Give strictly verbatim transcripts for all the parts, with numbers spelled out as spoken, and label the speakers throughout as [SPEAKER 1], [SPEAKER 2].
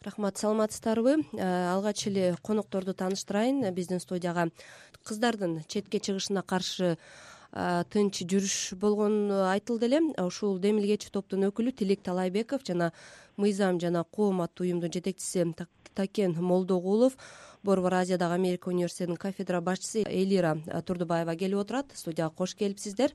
[SPEAKER 1] Рахмат, саламатсыздарбы? Алгач эле конокторду тааныштырайын. Биздин студияга кыздардын четке чыгышына каршы тынч жүрүш болгону айтылды эле. Ушул демилгечи топтун өкүлү Тилек Талайбеков жана Мыйзам жана коом аттуу уюмдун жетекчиси Такен Молдогулов, Борбор Азиядагы Америка университетинин кафедра башчысы Элира Турдубаева келип отурат. Студияга кош келипсиздер.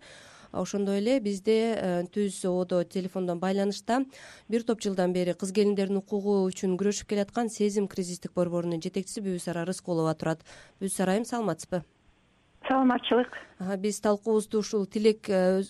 [SPEAKER 1] Ошондой эле бизде түз ободо телефондон байланышта бир топ жылдан бери кыз келиндердин укугу үчүн күрөшүп келаткан Сезим кризистик борборунун жетекчиси Бүбүсара Рыскулова турат. Бүбүсара айым, саламатсызбы?
[SPEAKER 2] Саламатчылык.
[SPEAKER 1] Биз талкуубузду ушул Тилек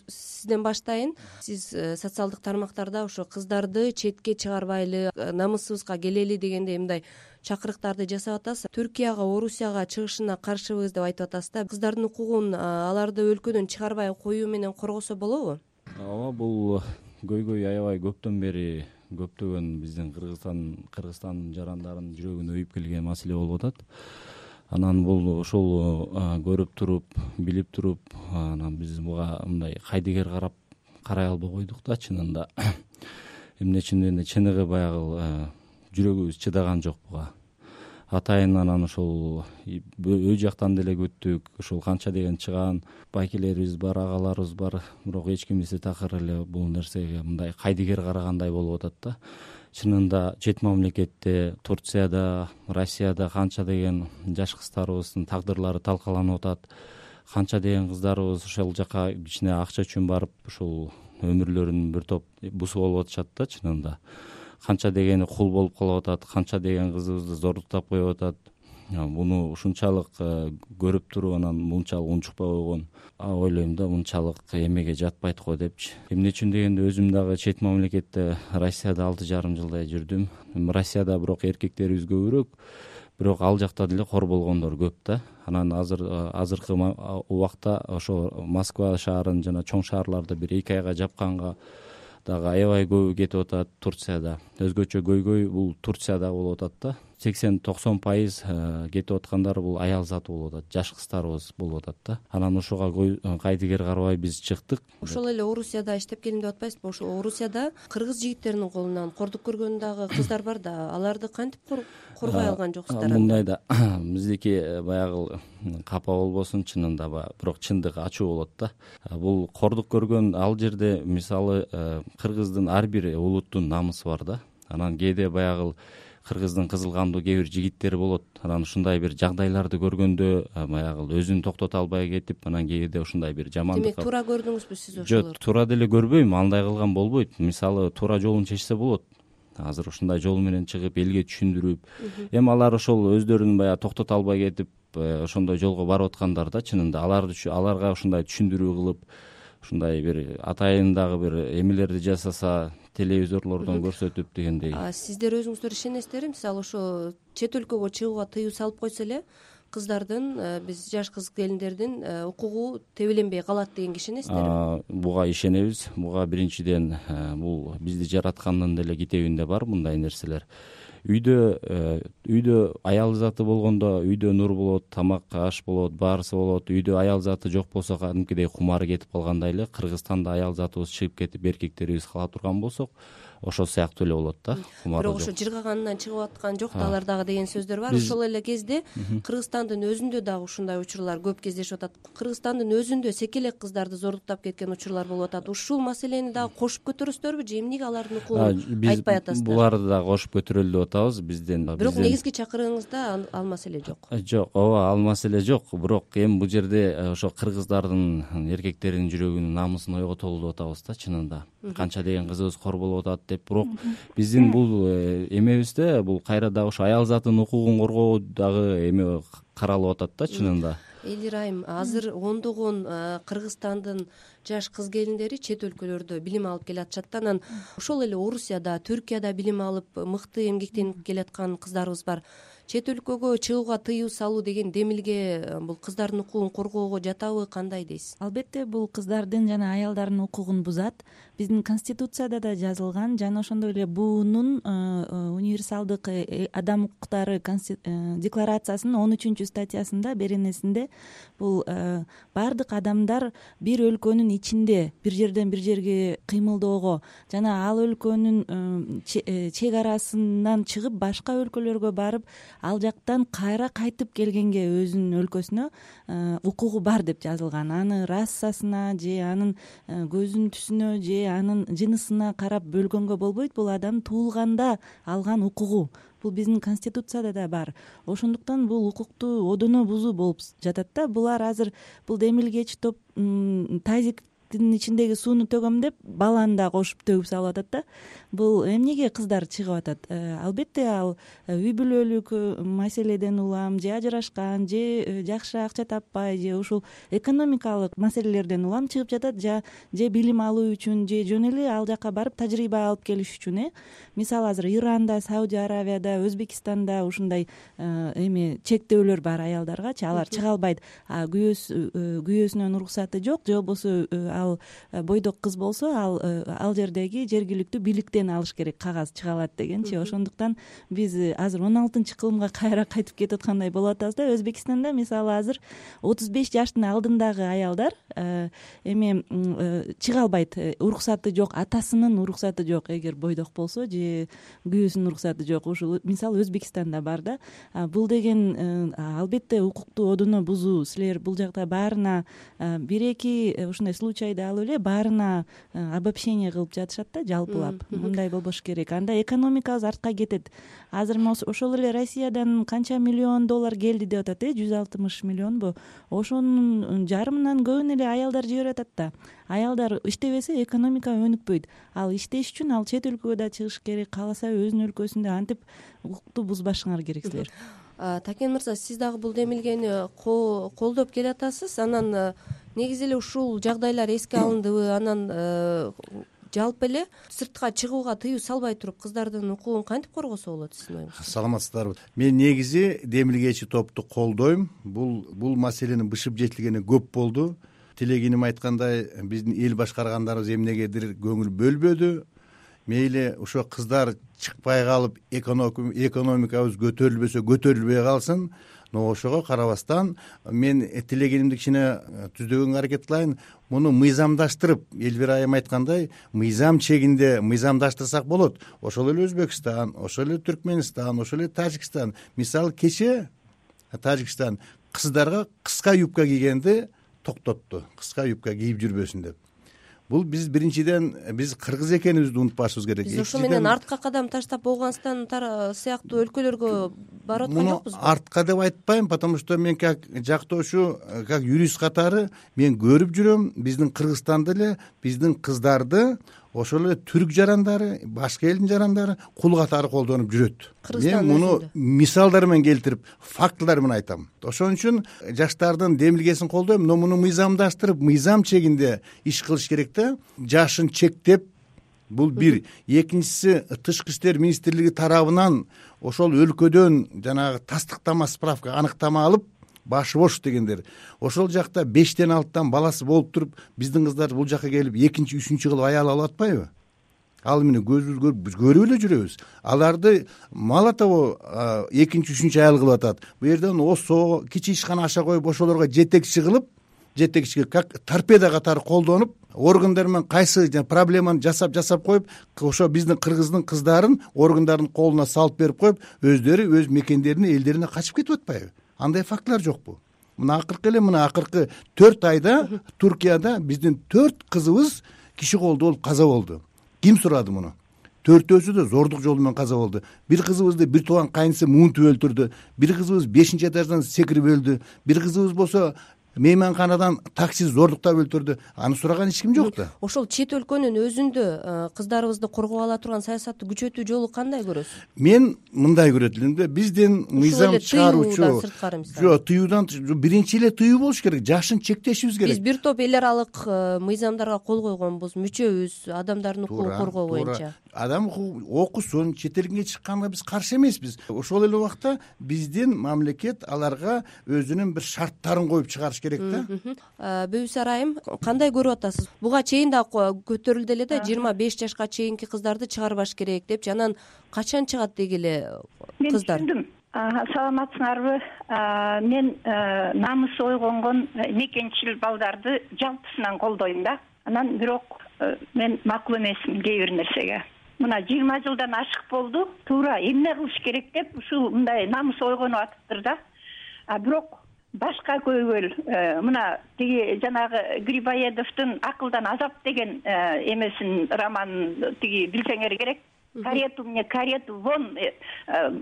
[SPEAKER 1] сизден баштайын. Сиз социалдык тармактарда ошо кыздарды четке чыгарбайлы, намысыбызга келели дегендей мындай чакырыктарды жасап атасыз. Түркияга, Орусияга чыгышына каршыбыз деп айтып атасыз да. Кыздардын укугун аларды өлкөдөн чыгарбай коюу менен коргосо болобу?
[SPEAKER 3] Ооба, бул көйгөй аябай көптөн бери көптөгөн биздин Кыргызстан Кыргызстан жарандарын жүрөгүнө үйүп келген маселе болуп атат. Анан бул ошол көрүп туруп, билип туруп, анан биз буга мындай кайдыгер карап карай албай койдук да чынында. Эмне үчүн эле чыныгы баягы жүрөгүбүз чыдаган жок буга. Атайын анан ошол өй жактан деле күттүк, ошол канча деген чыган байкелерибиз бар, агаларыбыз бар, бирок эч ким бизди такыр эле бул нерсеге мындай кайдыгер карагандай болуп атат да. Чынында чет мамлекетте, Турцияда, Россияда канча деген жаш кыздарыбыздын тагдырлары талкаланып атат. Канча деген кыздарыбыз ошол жака кичине акча үчүн барып, ушул өмүрлөрүн бир топ бусуп алып атышат да чынында. Канча дегени кул болуп калып атат, канча деген кызыбызды зордуктап коюп атат. Буну ушунчалык көрүп туруп анан мынчалык унчукпай койгон ойлойм да, мынчалык эмеге жатпайт го депчи. Эмне үчүн дегенде өзүм дагы чет мамлекетте Россияда алты жарым жылдай жүрдүм. Россияда бирок эркектерибиз көбүрөөк, бирок ал жакта деле кор болгондор көп да. Анан азыр азыркы убакта ошо Москва шаарын жана чоң шаарларды бир эки айга жапканга дагы аябай көбү кетип атат. Турцияда өзгөчө көйгөй бул Турцияда болуп атат да. сексен токсон пайыз кетип аткандар бул аял заты болуп атат, жаш кыздарыбыз болуп атат да. Анан ошого кайдыгер карабай биз чыктык.
[SPEAKER 1] Ошол эле Орусияда иштеп келдим деп атпайсызбы? Ошол Орусияда кыргыз жигиттеринин колунан кордук көргөн дагы кыздар бар да. Аларды кантип коргой алган жоксуздар?
[SPEAKER 3] Мындай да, биздики баягы капа болбосун, чынында бирок чындыгы ачуу болот да. Бул кордук көргөн ал жерде мисалы кыргыздын ар бир улуттун намысы бар да. Анан кээде баягы кыргыздын кызыл кандуу кээ бир жигиттери болот. Анан ушундай бир жагдайларды көргөндө баягы өзүн токтото албай кетип, анан кээде ушундай бир жамандык.
[SPEAKER 1] Демек туура көрдүңүзбү сиз ошолорду?
[SPEAKER 3] Жок, туура деле көрбөйм, андай кылган болбойт. Мисалы туура жолун чечсе болот. Азыр ушундай жол менен чыгып элге түшүндүрүп, эми алар ошол өздөрүн баягы токтото албай кетип, ошондой жолго барып аткандар да чынында. Аларды аларга ушундай түшүндүрүү кылып, ушундай бир атайындагы бир эмелерди жасаса, телевизорлордон көрсөтүп дегендей.
[SPEAKER 1] Сиздер өзүңүздөр ишенесиздерби? Мисалы ошо чет өлкөгө чыгууга тыюу салып койсо эле кыздардын, биз жаш кыз келиндердин укугу тебеленбей калат дегенге ишенесиздерби?
[SPEAKER 3] Буга ишенебиз. Буга биринчиден бул бизди жараткандын деле китебинде бар мындай нерселер. Үйдө үйдө аял заты болгондо үйдө нур болот, тамак аш болот, баарысы болот. Үйдө аял заты жок болсо кадимкидей кумары кетип калгандай эле Кыргызстанда аял затыбыз чыгып кетип эркектерибиз кала турган болсок, ошол сыяктуу эле болот да.
[SPEAKER 1] Бирок ошо жыргаганынан чыгып аткан жок да алар дагы деген сөздөр бар. Ошол эле кезде Кыргызстандын өзүндө дагы ушундай учурлар көп кездешип атат. Кыргызстандын өзүндө секелек кыздарды зордуктап кеткен учурлар болуп атат. Ушул маселени дагы кошуп көтөрөсүздөрбү же эмнеге алардын укугун айтпай атасыздар?
[SPEAKER 3] Буларды дагы кошуп көтөрөлү деп атабыз бизден.
[SPEAKER 1] Бирок негизги чакырыгыңызда ал маселе жок.
[SPEAKER 3] Жок, ооба, ал маселе жок. Бирок эми бул жерде ошо кыргыздардын эркектердин жүрөгүнүн намысын ойготолу деп атабыз да чынында. Канча деген кызыбыз кор болуп атат деп. Бирок биздин бул эмебизде бул кайра дагы ошо аял затынын укугун коргоо дагы эме каралып атат да чынында.
[SPEAKER 1] Элир айым, азыр ондогон Кыргызстандын жаш кыз келиндери чет өлкөлөрдө билим алып келатышат да. Анан ошол эле Орусияда, Түркияда билим алып мыкты эмгектенип келаткан кыздарыбыз бар. Чет өлкөгө чыгууга тыюу салуу деген демилге бул кыздардын укугун коргоого жатабы, кандай дейсиз?
[SPEAKER 2] Албетте бул кыздардын жана аялдардын укугун бузат. Биздин конституцияда да жазылган жана ошондой эле буунун универсалдык адам укуктары декларациясынын он үчүнчү статьясында беренесинде бул баардык адамдар бир өлкөнүн ичинде бир жерден бир жерге кыймылдоого жана ал өлкөнүн чек арасынан чыгып башка өлкөлөргө барып ал жактан кайра кайтып келгенге өзүнүн өлкөсүнө укугу бар деп жазылган. Аны расасына же анын көзүнүн түсүнө же анын жынысына карап бөлгөнгө болбойт. Бул адам туулганда алган укугу. Бул биздин конституцияда да бар. Ошондуктан бул укукту одоно бузуу болуп жатат да. Булар азыр бул демилгечи топ тазиктин ичиндеги сууну төгөм деп баланы да кошуп төгүп салып атат да. Бул эмнеге кыздар чыгып атат? Албетте ал үй бүлөлүк маселеден улам, же ажырашкан, же жакшы акча таппай, же ушул экономикалык маселелерден улам чыгып жатат, же билим алуу үчүн, же жөн эле ал жака барып тажрыйба алып келиш үчүн. Э мисалы азыр Иранда, Сауди Аравияда, Өзбекстанда ушундай эми чектөөлөр бар аялдаргачы. Алар чыга албайт. Күйөөсүнүн уруксаты жок, же болбосо ал бойдок кыз болсо, ал ал жердеги жергиликтүү бийликтен алыш керек, кагаз чыга алат дегенчи. Ошондуктан биз азыр он алтынчы кылымга кайра кайтып кетип аткандай болуп атабыз да. Өзбекстанда мисалы азыр отуз беш жаштын алдындагы аялдар эми чыга албайт, уруксаты жок, атасынын уруксаты жок эгер бойдок болсо, же күйөөсүнүн уруксаты жок. Ушул мисалы Өзбекстанда бар да. Бул деген албетте укукту одоно бузуу. Силер бул жакта баарына бир эки ушундай случайда алып эле баарына обобщение кылып жатышат да, жалпылап. Мындай болбош керек. Анда экономикабыз артка кетет. Азыр ошол эле Россиядан канча миллион доллар келди деп атат, э жүз алтымыш миллионбу? Ошонун жарымынан көбүн эле аялдар жиберип атат да. Аялдар иштебесе экономика өнүкпөйт. Ал иштеш үчүн ал чет өлкөгө да чыгыш керек, кааласа өзүнүн өлкөсүндө. Антип укукту бузбашыңар керек силер.
[SPEAKER 1] Такен мырза, сиз дагы бул демилгени колдоп келатасыз. Анан негизи эле ушул жагдайлар эске алындыбы? Анан жалпы эле сыртка чыгууга тыюу салбай туруп кыздардын укугун кантип коргосо болот сиздин оюңузда?
[SPEAKER 4] Саламатсыздарбы. Мен негизи демилгечи топту колдойм. Бул бул маселенин бышып жетилгени көп болду. Тилегеним айткандай, биздин эл башкаргандарыбыз эмнегедир көңүл бөлбөдү. Мейли ошо кыздар чыкпай калып, экономикабыз көтөрүлбөсө көтөрүлбөй калсын. Но ошого карабастан мен тилегенимди кичине түздөгөнгө аракет кылайын. Муну мыйзамдаштырып, Элвира айым айткандай, мыйзам чегинде мыйзамдаштырсак болот. Ошол эле Өзбекстан, ошол эле Түркмөнстан, ошол эле Тажикстан. Мисалы кече Тажикстан кыздарга кыска юбка кийгенди токтотту. Кыска юбка кийип жүрбөсүн деп. Бул биз биринчиден биз кыргыз экенибизди унутпашыбыз керек.
[SPEAKER 1] Биз ошо менен артка кадам таштап Ооганстан сыяктуу өлкөлөргө барып аткан жокпузбу?
[SPEAKER 4] Артка деп айтпайм, потому что мен как жактоочу, как юрист катары мен көрүп жүрөм, биздин Кыргызстанда эле биздин кыздарды ошол эле түрк жарандары, башка элдин жарандары кул катары колдонуп жүрөт. Мен муну мисалдар менен келтирип, фактылар менен айтам. Ошон үчүн жаштардын демилгесин колдойм, но муну мыйзамдаштырып, мыйзам чегинде иш кылыш керек да. Жашын чектеп, бул бир. Экинчиси, тышкы иштер министрлиги тарабынан ошол өлкөдөн жанагы тастыктама, справка, аныктама алып, башы бош дегендер. Ошол жакта бештен алтыдан баласы болуп туруп, биздин кыздар бул жака келип экинчи, үчүнчү кылып аял алып атпайбы? Ал эмне көзүбүз көрүп эле жүрөбүз. Аларды мало того экинчи, үчүнчү аял кылып атат. Бу жерден осо кичи ишкана аша коюп ошолорго жетекчи кылып, жетекчиге как торпеда катары колдонуп, органдар менен кайсы проблеманы жасап жасап коюп, ошо биздин кыргыздын кыздарын органдардын колуна салып берип коюп, өздөрү өз мекендерине, элдерине качып кетип атпайбы? Андай фактылар жокпу? Мына акыркы эле мына акыркы төрт айда Туркияда биздин төрт кызыбыз киши колдоо болуп каза болду. Ким сурады муну? Төртөөсү да зордук жолу менен каза болду. Бир кызыбызды бир тууган кайынысы муунтуп өлтүрдү. Бир кызыбыз бешинчи этаждан секирип өлдү. Бир кызыбыз болсо мейманканадан такси зордуктап өлтүрдү. Аны сураган эч ким жок да.
[SPEAKER 1] Ошол чет өлкөнүн өзүндө кыздарыбызды коргоп ала турган саясатты күчөтүү жолу кандай көрөсүз?
[SPEAKER 4] Мен мындай көрөт элем да, биздин мыйзам чыгаруучу жок, тыюудан биринчи эле тыюу болуш керек, жашын чектешибиз керек.
[SPEAKER 1] Биз бир топ эл аралык мыйзамдарга кол койгонбуз, мүчөбүз, адамдардын укугун коргоо боюнча.
[SPEAKER 4] Адам окусун, чет элге чыкканга биз каршы эмеспиз. Ошол эле убакта биздин мамлекет аларга өзүнүн бир шарттарын коюп чыгарыш керек да.
[SPEAKER 1] Бөбүсар айым, кандай көрүп атасыз? Буга чейин да көтөрүлдү эле да, жыйырма беш жашка чейинки кыздарды чыгарбаш керек деп. Анан качан чыгат дегиле кыздар?
[SPEAKER 5] Мен түшүндүм. Саламатсыңарбы? Мен намысы ойгонгон мекенчил балдарды жалпысынан колдойм да. анан бирок мен макул эмесмин кээ бир нерсеге. Мына жыйырма жылдан ашык болду, туура эмне кылыш керек деп ушул мындай намыс ойгонуп атыптыр да. А бирок башка көйгөй мына тиги жанагы Грибоедовдун Акылдан азап деген эмесин романын тиги билсеңер керек. Карету мне карету вон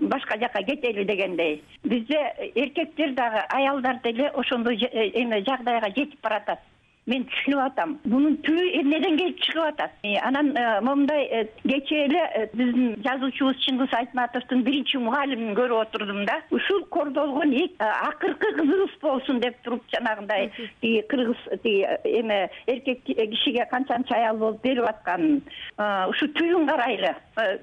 [SPEAKER 5] башка жака кетели дегендей. Бизде эркектер дагы аялдар деле ошондой эме жагдайга жетип баратат. Мен түшүнүп атам. Мунун түбү эмнеден келип чыгып атат? Анан момундай кечээ эле биздин жазуучубуз Чыңгыз Айтматовдун биринчи мугалимин көрүп отурдум да. Ушул кордолгон акыркы кызыбыз болсун деп туруп жанагындай тиги кыргыз тиги эме эркек кишиге канчанча аял болуп берип атканын ушу түбүн карайлы.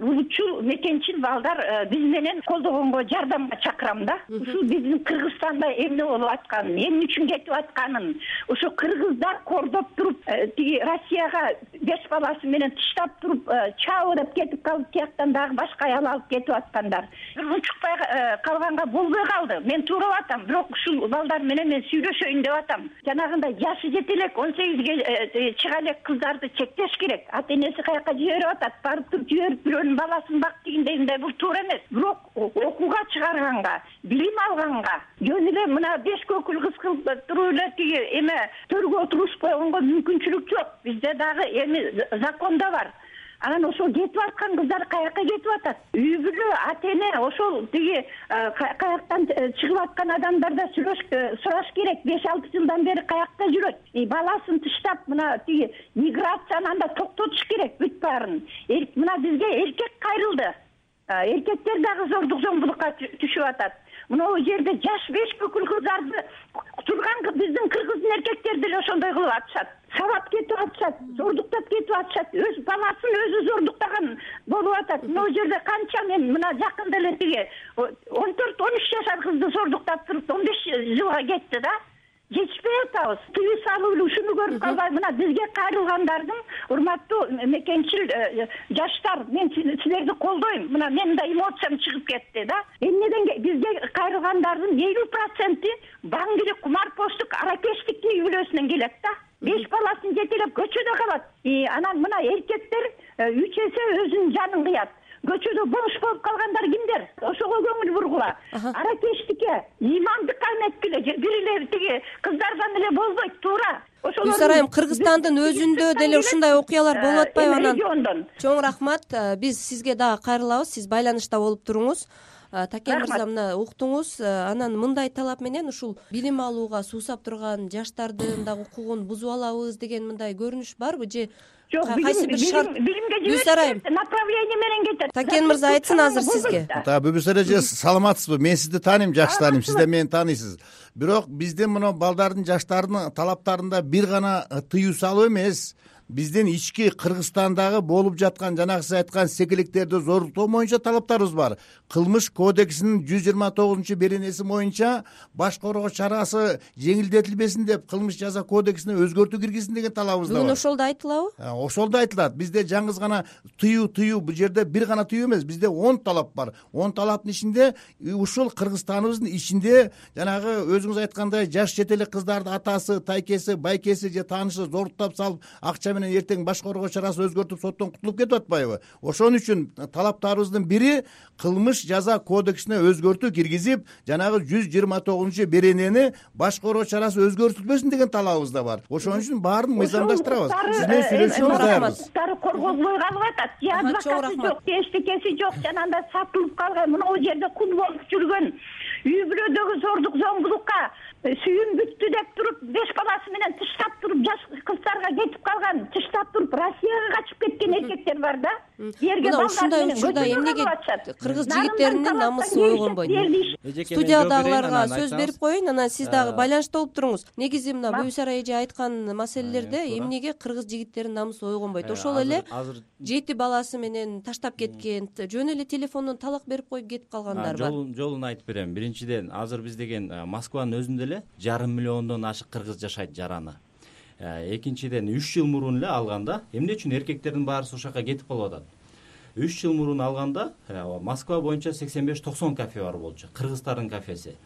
[SPEAKER 5] Улутчул мекенчил балдар биз менен колдогонго жардамга чакырам да. Ушул биздин Кыргызстанда эмне болуп атканын, эмне үчүн кетип атканын, ошо кыргыздар кордоп туруп тиги Россияга беш баласы менен тыштап туруп чабы деп кетип калып, тияктан дагы башка аял алып кетип аткандар. Учукпай калганга болбой калды. Мен туурап атам, бирок ушул балдар менен мен сүйлөшөйүн деп атам. Жанагындай жашы жете элек он сегизге чыга элек кыздарды чектеш керек. Ата энеси каяка жиберип атат, барып туруп жиберип бирөөнүн баласын бак дегендей, бул туура эмес. Бирок окууга чыгарганга, билим алганга, жөн эле мына беш көкүл кыз кылып туруп эле тиги эме төргө отурушуп койгонго мүмкүнчүлүк жок. Бизде дагы эми законда бар. Анан ошол кетип аткан кыздар каяка кетип атат? Үй бүлө, ата эне ошол тиги каяктан чыгып аткан адамдарда сураш керек. беш алты жылдан бери каякта жүрөт? Баласын тыштап мына тиги миграцияны анда токтотуш керек бүт баарын. Мына бизге эркек кайрылды. Эркектер дагы зордук зомбулукка түшүп атат. Мына жерде жаш беш бүкүл кыздарды турган биздин кыргыздын эркектери деле ошондой кылып атышат. Сабап кетип атышат, зордуктап кетип атышат. Өз баласын өзү зордуктаган болуп атат. Мына жерде канча мен мына жакында эле тиги он төрт он үч жашар кызды зордуктап туруп он беш жылга кетти да. Жетишпей атабыз. Тыюу салуу эле ушуну көрүп калбай, мына бизге кайрылгандардын урматтуу мекенчил жаштар, мен силерди колдойм. Мына менин да эмоциям чыгып кетти да. Эмнеден бизге кайрылгандардын элүү проценти баңгилик, кумарпоштук, аракештик үй бүлөсүнөн келет да. беш баласын жетелеп көчөдө калат. Анан мына эркектер үч эсе өзүнүн жанын кыят. Көчөдө бош болуп калгандар кимдер? Ошого көңүл бургула. Аракештикке, имандыкка эметкиле, бир эле тиги кыздардан эле болбойт, туура.
[SPEAKER 1] Гүлсара айым, Кыргызстандын өзүндө деле ушундай окуялар болуп атпайбы анан? Чоң рахмат. Биз сизге дагы кайрылабыз. Сиз байланышта болуп туруңуз. Такен мырза, мына уктуңуз. Анан мындай талап менен ушул билим алууга суусап турган жаштардын дагы укугун бузуп алабыз деген мындай көрүнүш барбы же
[SPEAKER 5] жок?
[SPEAKER 1] Кайсы бир шарт
[SPEAKER 5] билимге
[SPEAKER 1] жиберишет,
[SPEAKER 5] направление менен кетет.
[SPEAKER 1] Такен мырза айтсын азыр сизге.
[SPEAKER 4] Та Бүбүсөр эже, саламатсызбы? Мен сизди тааныйм, жакшы тааныйм. Сиз да мени тааныйсыз. Бирок биздин мына балдардын, жаштардын талаптарында бир гана тыюу салуу эмес, биздин ички Кыргызстандагы болуп жаткан жанагы сиз айткан секеликтерди зордуктоо боюнча талаптарыбыз бар. Кылмыш кодексинин жүз жыйырма тогузунчу беренеси боюнча баш короо чарасы жеңилдетилбесин деп кылмыш жаза кодексине өзгөртүү киргизсин деген талабыбыз да бар.
[SPEAKER 1] Бүгүн ошол да айтылабы?
[SPEAKER 4] Ошол да айтылат. Бизде жаңгыз гана тыюу тыюу, бул жерде бир гана тыюу эмес, бизде он талап бар. он талаптын ичинде ушул Кыргызстаныбыздын ичинде жанагы өзүңүз айткандай жаш жетелек кыздарды атасы, тайкеси, байкеси же таанышы зордуктап салып акча менен эртең баш короо чарасы өзгөртүп соттон кутулуп кетип атпайбы? Ошон үчүн талаптарыбыздын бири кылмыш жаза кодексине өзгөртүү киргизип, жанагы жүз жыйырма тогузунчу беренени баш короо чарасы өзгөртүлбөсүн деген талабыбыз да бар. Ошон үчүн баарын мыйзамдаштырабыз. Сиз менен сүйлөшүүгө даярбыз.
[SPEAKER 5] Корголбой калып атат. Же адвокаты жок, эчтекеси жок, жанагындай сатылып калган, мына ал жерде кул болуп жүргөн, үй бүлөдөгү зордук зомбулукка сүйүн бүттү деп туруп беш баласы менен тыштап туруп жаш кыздарга кетип калган, тыштап туруп Россияга качып кеткен эркектер бар да.
[SPEAKER 1] Мына ушундай учурда эмнеге кыргыз жигиттеринин намысы ойгонбойт? Студиядагыларга сөз берип коеюн, анан сиз дагы байланышта болуп туруңуз. Негизи мына Бүбүсара эже айткан маселелерде эмнеге кыргыз жигиттеринин намысы ойгонбойт? Ошол эле жети баласы менен таштап кеткен, жөн эле телефондон талак берип коюп кетип калгандар бар.
[SPEAKER 3] Жолун айтып берем. Биринчиден, азыр биз деген Москванын өзүндө эле жарым миллиондон ашык кыргыз жашайт жараны. Экинчиден, үч жыл мурун эле алганда, эмне үчүн эркектердин баарысы ошол жака кетип калып атат? үч жыл мурун алганда Москва боюнча сексен беш токсон кафе бар болчу, кыргыздардын кафеси.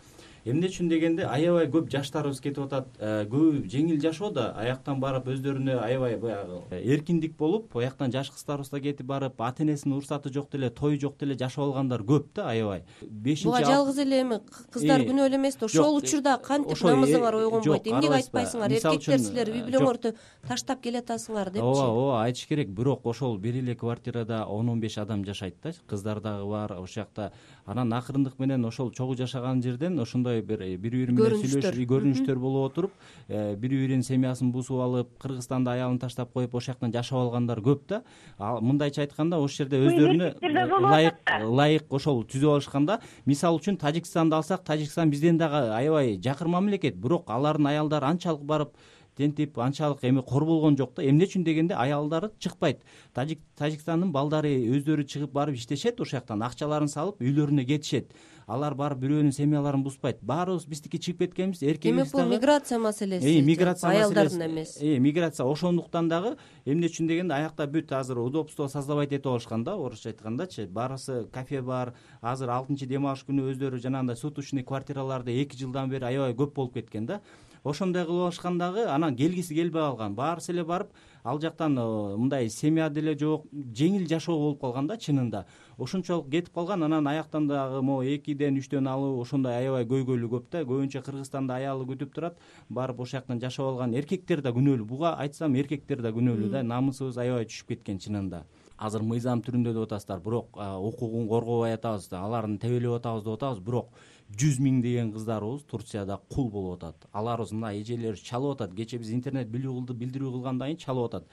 [SPEAKER 3] эмне үчүн дегенде аябай көп жаштарыбыз кетип атат, көбү жеңил жашоодо аяктан барып өздөрүнө аябай баягы эркиндик болуп, аяктан жаш кыздарыбыз да кетип барып, ата энесинин уруксаты жок деле, той жок деле жашап алгандар көп да аябай.
[SPEAKER 1] Буга жалгыз эле эми кыздар күнөөлүү эмес да, ошол учурда кантип намызыңар ойгонбойт, эмнеге айтпайсыңар, эркектер силер үй бүлөңөрдү таштап келатасыңар депчи.
[SPEAKER 3] ооба ооба айтыш керек, бирок ошол бир эле квартирада он он беш адам жашайт да, кыздар дагы бар ошол жакта. Анан акырындык менен ошол чогуу жашаган жерден ошондой бир бири бири менен сүйлөшүп, көрүнүштөр болуп отуруп, бири биринин семьясын бузуп алып, Кыргызстанда аялын таштап коюп ошол жактан жашап алгандар көп да. Мындайча айтканда ошол жерде өздөрүнө ылайык ылайык ошол түзүп алышканда, мисалы үчүн Тажикстанды алсак, Тажикстан бизден дагы аябай жакын мамлекет, бирок алардын аялдары анчалык барып тентип, анчалык эми кор болгон жок да. Эмне үчүн дегенде аялдары чыкпайт. Тажикстандын балдары өздөрү чыгып барып иштешет, ошол жактан акчаларын салып үйлөрүнө кетишет. Алар барып бирөөнүн семьяларын бузбайт. Баарыбыз биздики чыгып кеткенбиз, эркегибиз дагы.
[SPEAKER 1] Демек бул миграция маселеси.
[SPEAKER 3] Э, миграция маселеси.
[SPEAKER 1] Аялдардын эмес.
[SPEAKER 3] Э, миграция ошондуктан дагы эмне үчүн дегенде аякта бүт азыр удобство создавать этип алышкан да, орусча айткандачы. Баарысы кафе бар. Азыр алтынчы дем алыш күнү өздөрү жанагындай суточный квартираларда эки жылдан бери аябай көп болуп кеткен да. Ошондой кылып алышкандагы анан келгиси келбей калган. Баарысы эле барып ал жактан мындай семья деле жок, жеңил жашоо болуп калган да чынында. Ошончолук кетип калган, анан аяктан дагы могу экиден үчтөн алуу ошондой аябай көйгөйлүү көп да. Көбүнчө Кыргызстанда аялы күтүп турат, барып ошол жактан жашап алган эркектер да күнөөлүү. Буга айтсам эркектер да күнөөлүү да. Намысыбыз аябай түшүп кеткен чынында. Азыр мыйзам түрүндө деп атасыздар, бирок укугун коргобой атабыз, алардын тебелеп атабыз деп атабыз, бирок жүз миң деген кыздарыбыз Турцияда кул болуп атат. Аларыбыз мына эжелери чалып атат. Кечээ биз интернет билдирүү кылгандан кийин чалып атат.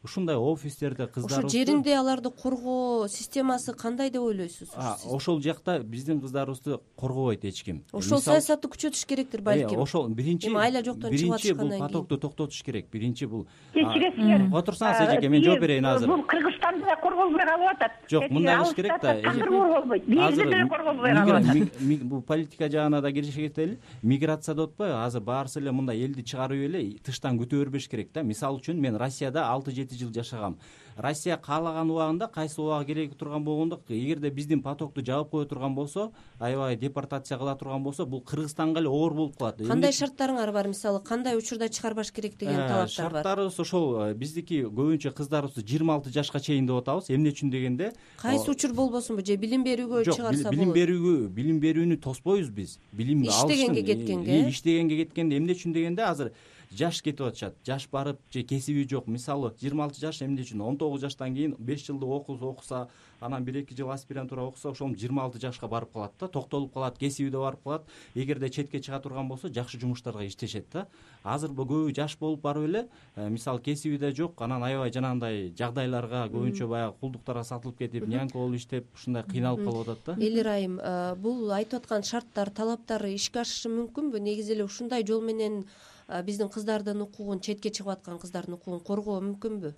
[SPEAKER 3] Ушундай офистерде кыздарыбыз.
[SPEAKER 1] Ошо жеринде аларды коргоо системасы кандай деп ойлойсуз?
[SPEAKER 3] Ошол жакта биздин кыздарыбызды коргобойт эч ким.
[SPEAKER 1] Ошол саясатты күчөтүш керектир балким.
[SPEAKER 3] Ошол биринчи
[SPEAKER 1] эми айла жоктон чыгып атышкандан кийин.
[SPEAKER 3] Бул потокту токтотуш керек. Биринчи бул.
[SPEAKER 5] Кечиресиңер.
[SPEAKER 3] Отурсаңыз эжеке, мен жооп берейин азыр.
[SPEAKER 5] Бул Кыргызстанда да корголбой калып атат.
[SPEAKER 3] Жок, мындай кылыш керек да.
[SPEAKER 5] Азыр корголбойт. Бизде деле корголбой калып атат.
[SPEAKER 3] Бул политика жагына да киришке кетели. Миграция деп атпайбы? Азыр баарысы эле мындай элди чыгарып эле тыштан күтө бербеш керек да. Мисалы үчүн мен Россияда алты жети жыл жашагам. Россия каалаган убагында, кайсы убагы кереги турган болгондо, эгерде биздин потокту жаап кое турган болсо, аябай депортация кыла турган болсо, бул Кыргызстанга эле оор болуп калат.
[SPEAKER 1] Кандай шарттарыңар бар, мисалы, кандай учурда чыгарбаш керек деген талаптар бар?
[SPEAKER 3] Шарттарыбыз ошол, биздики көбүнчө кыздарыбызды жыйырма алты жашка чейин деп атабыз. Эмне үчүн дегенде,
[SPEAKER 1] кайсы учур болбосунбу, же билим берүүгө чыгарса болот?
[SPEAKER 3] Билим берүүгө, билим берүүнү тоспойбуз биз. Билим
[SPEAKER 1] иштегенге кеткенге.
[SPEAKER 3] Иштегенге кеткенде эмне үчүн дегенде, азыр жаш кетип атышат. Жаш барып же кесиби жок. Мисалы жыйырма алты жаш эмне үчүн? он тогуз жаштан кийин беш жылдык окуса, анан бир эки жыл аспирантура окуса, ошол жыйырма алты жашка барып калат да, токтолуп калат, кесиби да барып калат. Эгерде четке чыга турган болсо, жакшы жумуштарга иштешет да. Азыр бул көбү жаш болуп барып эле, мисалы кесиби да жок, анан аябай жанагындай жагдайларга, көбүнчө баягы кулдуктарга сатылып кетип, нянька болуп иштеп, ушундай кыйналып калып атат да.
[SPEAKER 1] Элир айым, бул айтып аткан шарттар, талаптар ишке ашышы мүмкүнбү? Негизи эле ушундай жол менен биздин кыздардын укугун, четке чыгып аткан кыздардын укугун коргоо мүмкүнбү?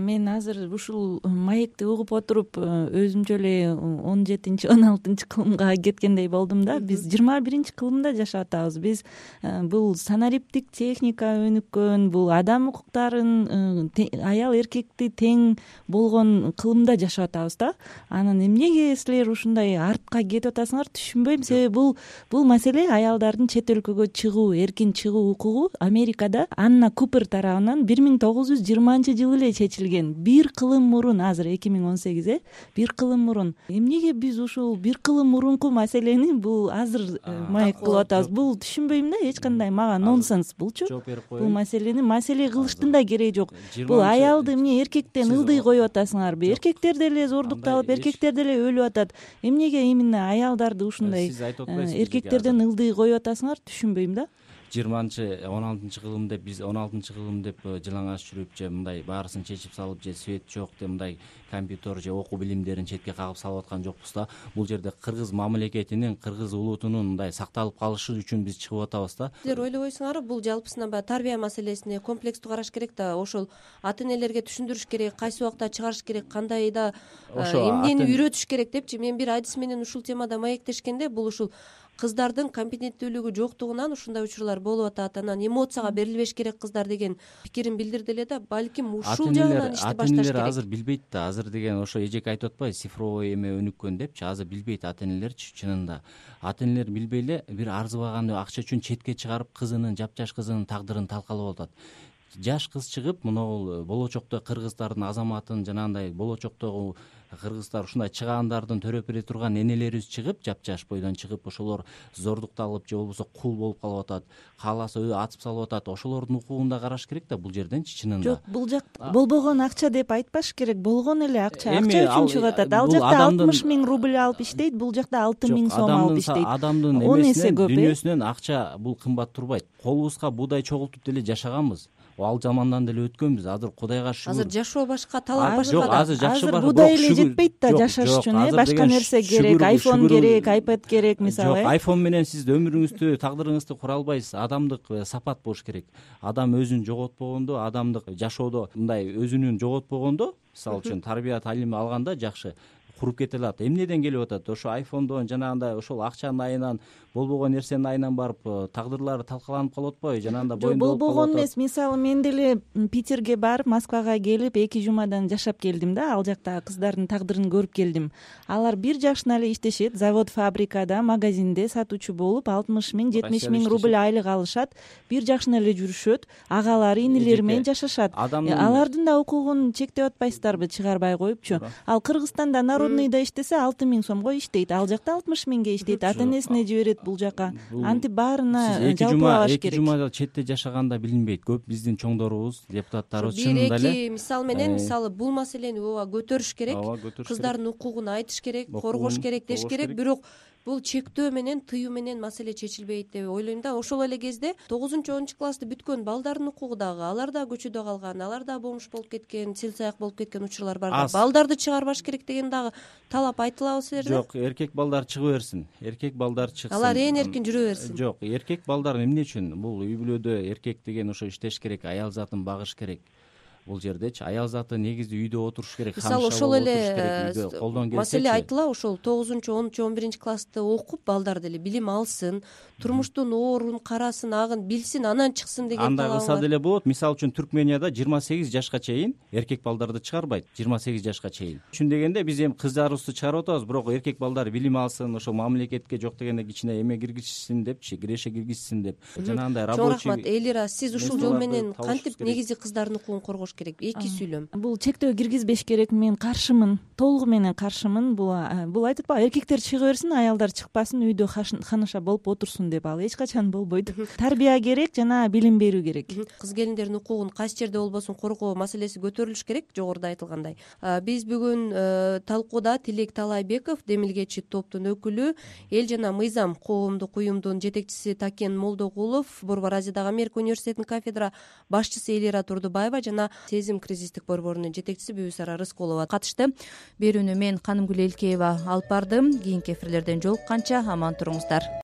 [SPEAKER 2] Мен азыр ушул маекти угуп отуруп өзүмчө эле он жетинчи он алтынчы кылымга кеткендей болдум да. Биз жыйырма биринчи кылымда жашап атабыз. Биз бул санариптик техника өнүккөн, бул адам укуктарын, аял эркекти тең болгон кылымда жашап атабыз да. Анан эмнеге силер ушундай артка кетип атасыңар, түшүнбөйм. Себеби бул бул маселе аялдардын чет өлкөгө чыгуу, эркин чыгуу укугу Америкада Анна Купер тарабынан бир миң тогуз жүз жыйырманчы жылы эле чечилген. Бир кылым мурун, азыр эки миң он сегиз, э, бир кылым мурун. Эмнеге биз ушул бир кылым мурунку маселени бул азыр маек кылып атабыз? Бул түшүнбөйм да, эч кандай мага нонсенс булчу. Бул маселени маселе кылыштын да кереги жок. Бул аялды эмне эркектен ылдый коюп атасыңарбы? Эркектер деле зордукталып, эркектер деле өлүп атат. Эмнеге именно аялдарды ушундай эркектерден ылдый коюп атасыңар? Түшүнбөйм да.
[SPEAKER 3] жыйырманчы он алтынчы кылым деп биз он алтынчы кылым деп жылаңач жүрүп же мындай баарысын чечип салып же свет жок деп мындай компьютер же окуу билимдерин четке кагып салып аткан жокпуз да. Бул жерде кыргыз мамлекетинин, кыргыз улутунун мындай сакталып калышы үчүн биз чыгып атабыз да.
[SPEAKER 1] Силер ойлобойсуңарбы, бул жалпысынан баягы тарбия маселесине комплекстүү караш керек да, ошол ата энелерге түшүндүрүш керек, кайсы убакта чыгарыш керек, кандай да эмнени үйрөтүш керек депчи. Мен бир адис менен ушул темада маектешкенде, бул ушул кыздардын компетенттүүлүгү жоктугунан ушундай учурлар болуп атат, анан эмоцияга берилбеш керек кыздар деген пикирин билдирди эле да, балким ушул жагынан ишти башташ керек.
[SPEAKER 3] ата энелер азыр билбейт да, азыр деген ошо эжеке айтып атпайбы, цифровой эме өнүккөн депчи, азыр билбейт ата энелерчи. Чынында ата энелер билбей эле бир арзыбаган акча үчүн четке чыгарып кызынын, жапжаш кызынын тагдырын талкалап атат. Жаш кыз чыгып моногул болочокто кыргыздардын азаматын, жанагындай болочоктогу кыргыздар ушундай чыгаандардын төрөп бере турган энелерибиз чыгып, жапжаш бойдон чыгып, ошолор зордукталып же болбосо кул болуп калып атат, кааласа атып салып атат. Ошолордун укугун да караш керек да бул жерденчи. Чынында
[SPEAKER 2] жок, бул жакта болбогон акча деп айтпаш керек, болгон эле акча акча үчүн чыгып атат. Ал жакта алтымыш миң рубль алып иштейт, бул жакта алты миң сом алып иштейт.
[SPEAKER 3] Адамдын эмесинен, дүйнөсүнөн акча бул кымбат турбайт. Колубузга буудай чогултуп деле жашаганбыз, ал замандан деле өткөнбүз. Азыр Кудайга шүгүр.
[SPEAKER 1] Азыр жашоо башка, талап башка.
[SPEAKER 3] Жок, азыр жакшы бар.
[SPEAKER 2] Азыр буудай эле жетпейт да жашаш үчүн, э, башка нерсе керек, айфон керек, айпад керек, мисалы.
[SPEAKER 3] Жок, айфон менен сиз өмүрүңүздү, тагдырыңызды кура албайсыз. Адамдык сапат болуш керек. Адам өзүн жоготпогондо, адамдык жашоодо мындай өзүнүн жоготпогондо, мисалы үчүн тарбия талим алганда жакшы куруп кете алат. Эмнеден келип атат? Ошо айфондон, жанагындай ошол акчанын айынан, болбогон нерсенин айынан барып тагдырлары талкаланып калып атпайбы? Жанагында боюнда болуп калып атат.
[SPEAKER 2] Болбогон эмес. Мисалы мен деле Питерге барып, Москвага келип эки жумадан жашап келдим да, ал жакта кыздардын тагдырын көрүп келдим. Алар бир жашына эле иштешет, завод, фабрикада, магазинде сатуучу болуп, алтымыш миң, жетимиш миң рубль айлык алышат. Бир жашына эле жүрүшөт, агалары, инилери менен жашашат. Алардын да укугун чектеп атпайсыздарбы, чыгарбай коюпчу? Ал Кыргызстанда народныйда иштесе алты миң сомго иштейт, ал жакта алтымыш миңге иштейт, ата энесине жиберет бул жака. Антип баарына жалпылабаш керек.
[SPEAKER 3] Эки жума четте жашаганда билинбейт. Көп биздин чоңдорубуз, депутаттарыбыз чынында эле
[SPEAKER 1] бир эки мисал менен, мисалы бул маселени ооба көтөрүш керек, кыздардын укугун айтыш керек, коргош керек, деш керек. Бирок бул чектөө менен, тыюу менен маселе чечилбейт деп ойлойм да. Ошол эле кезде тогузунчу онунчу классты бүткөн балдардын укугу дагы, алар да көчөдө калган, алар да бомж болуп кеткен, сел-саяк болуп кеткен учурлар бар да. Балдарды чыгарбаш керек деген дагы талап айтылабы силерде?
[SPEAKER 3] Жок, эркек балдар чыга берсин. Эркек балдар чыксын.
[SPEAKER 1] Алар ээн эркин жүрө берсин.
[SPEAKER 3] Жок, эркек балдар эмне үчүн? Бул үй бүлөдө эркек деген ошо иштеш керек, аял затын багыш керек. Бул жердечи аял заты негизи үйдө отуруш керек.
[SPEAKER 1] Мисалы ошол эле маселе айтыла, ошол тогузунчу, онунчу, он биринчи классты окуп, балдар деле билим алсын, турмуштун оорун карасын, агын билсин, анан чыксын деген талабы бар.
[SPEAKER 3] Андай кылса деле болот. Мисалы үчүн Түркменияда жыйырма сегиз жашка чейин эркек балдарды чыгарбайт, жыйырма сегиз жашка чейин. Үчүн дегенде биз эми кыздарыбызды чыгарып атабыз, бирок эркек балдар билим алсын, ошо мамлекетке жок дегенде кичине эме киргизишсин депчи, киреше киргизсин деп. Жанагындай рабочий.
[SPEAKER 1] Чоң рахмат Элира, сиз ушул жол менен кантип негизи кыздардын укугун коргош керек? Эки сүйлөм.
[SPEAKER 2] Бул чектөө киргизбеш керек, мен каршымын, толугу менен каршымын. Бул бул айтып атпайбы, эркектер чыга берсин, аялдар чыкпасын, үйдө ханыша болуп отурсун деп. Ал эч качан болбойт. Тарбия керек жана билим берүү керек.
[SPEAKER 1] Кыз келиндердин укугун кайсы жерде болбосун коргоо маселеси көтөрүлүш керек, жогоруда айтылгандай. Биз бүгүн талкууда Тилек Талайбеков, демилгечи топтун өкүлү, Эл жана мыйзам коомдук уюмдун жетекчиси Такен Молдогулов, Борбор Азиядагы Америка университетинин кафедра башчысы Элира Турдубаева жана Сезим кризистик борборунун жетекчиси Бүбүсара Рыскулова катышты. Берүүнү мен Канымгүл Элкеева алып бардым. Кийинки эфирлерден жолукканча аман туруңуздар.